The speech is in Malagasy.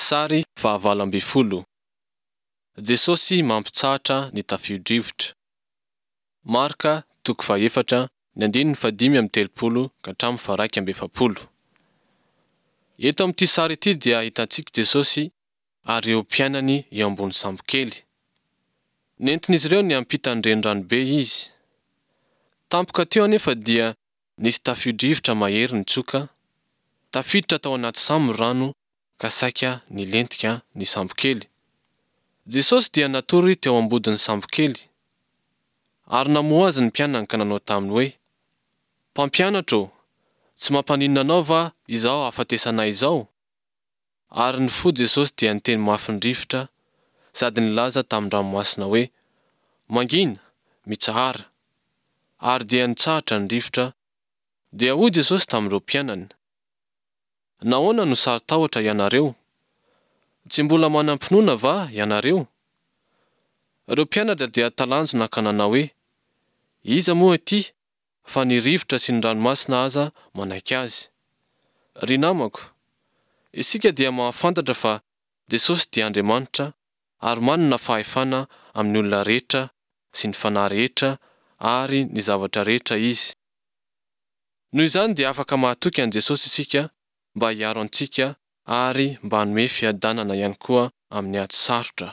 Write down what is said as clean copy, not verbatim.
Sary fahavalo ambin'ny folo. Jesosy mampitsahatra ny tafio-drivotra. Marka toko fahefatra ny andininy fahadimy amby telopolo ka hatramin'ny faha-iraika amby efapolo. Eto amin'ity sary ity dia hitantsika Jesosy ary ireo mpianany eo ambony sambokely. Nentin'izy ireo niampita ny renirano be izy. Tampoka teo anefa dia nisy tafio-drivotra mahery nitsoka, tafiditra tao anaty sambo ny rano ka saika nilentika ny sambokely. Jesosy dia natory teo ambodin'ny sambokely. Ary namoha azy ny mpianany ka nanao taminy hoe, Mpampianatra ô, tsy mampaninona anao va izao hahafatesanay izao? Ary nifoha Jesosy dia niteny mafy ny rivotra sady nilaza tamin-dranomasina hoe, Mangina! Mitsahara! Ary dia nitsahatra ny rivotra, dia hoy Jesosy tamin'ireo mpianany, Nahoana no saro-tahotra ianareo? Tsy mbola manam-pinoana va ianareo? Ireo mpianatra dia talanjona ka nanao hoe, Iza moa ity, fa ny rivotra sy ny ranomasina aza manaiky azy? Ry namako, isika dia mahafantatra fa Jesosy dia Andriamanitra ary manana fahefana amin'ny olona rehetra sy ny fanahy rehetra ary ny zavatra rehetra Izy. Noho izany dia afaka mahatoky an'i Jesosy isika mba hiaro antsika ary mba hanome fiadanana ihany koa amin'ny ady sarotra.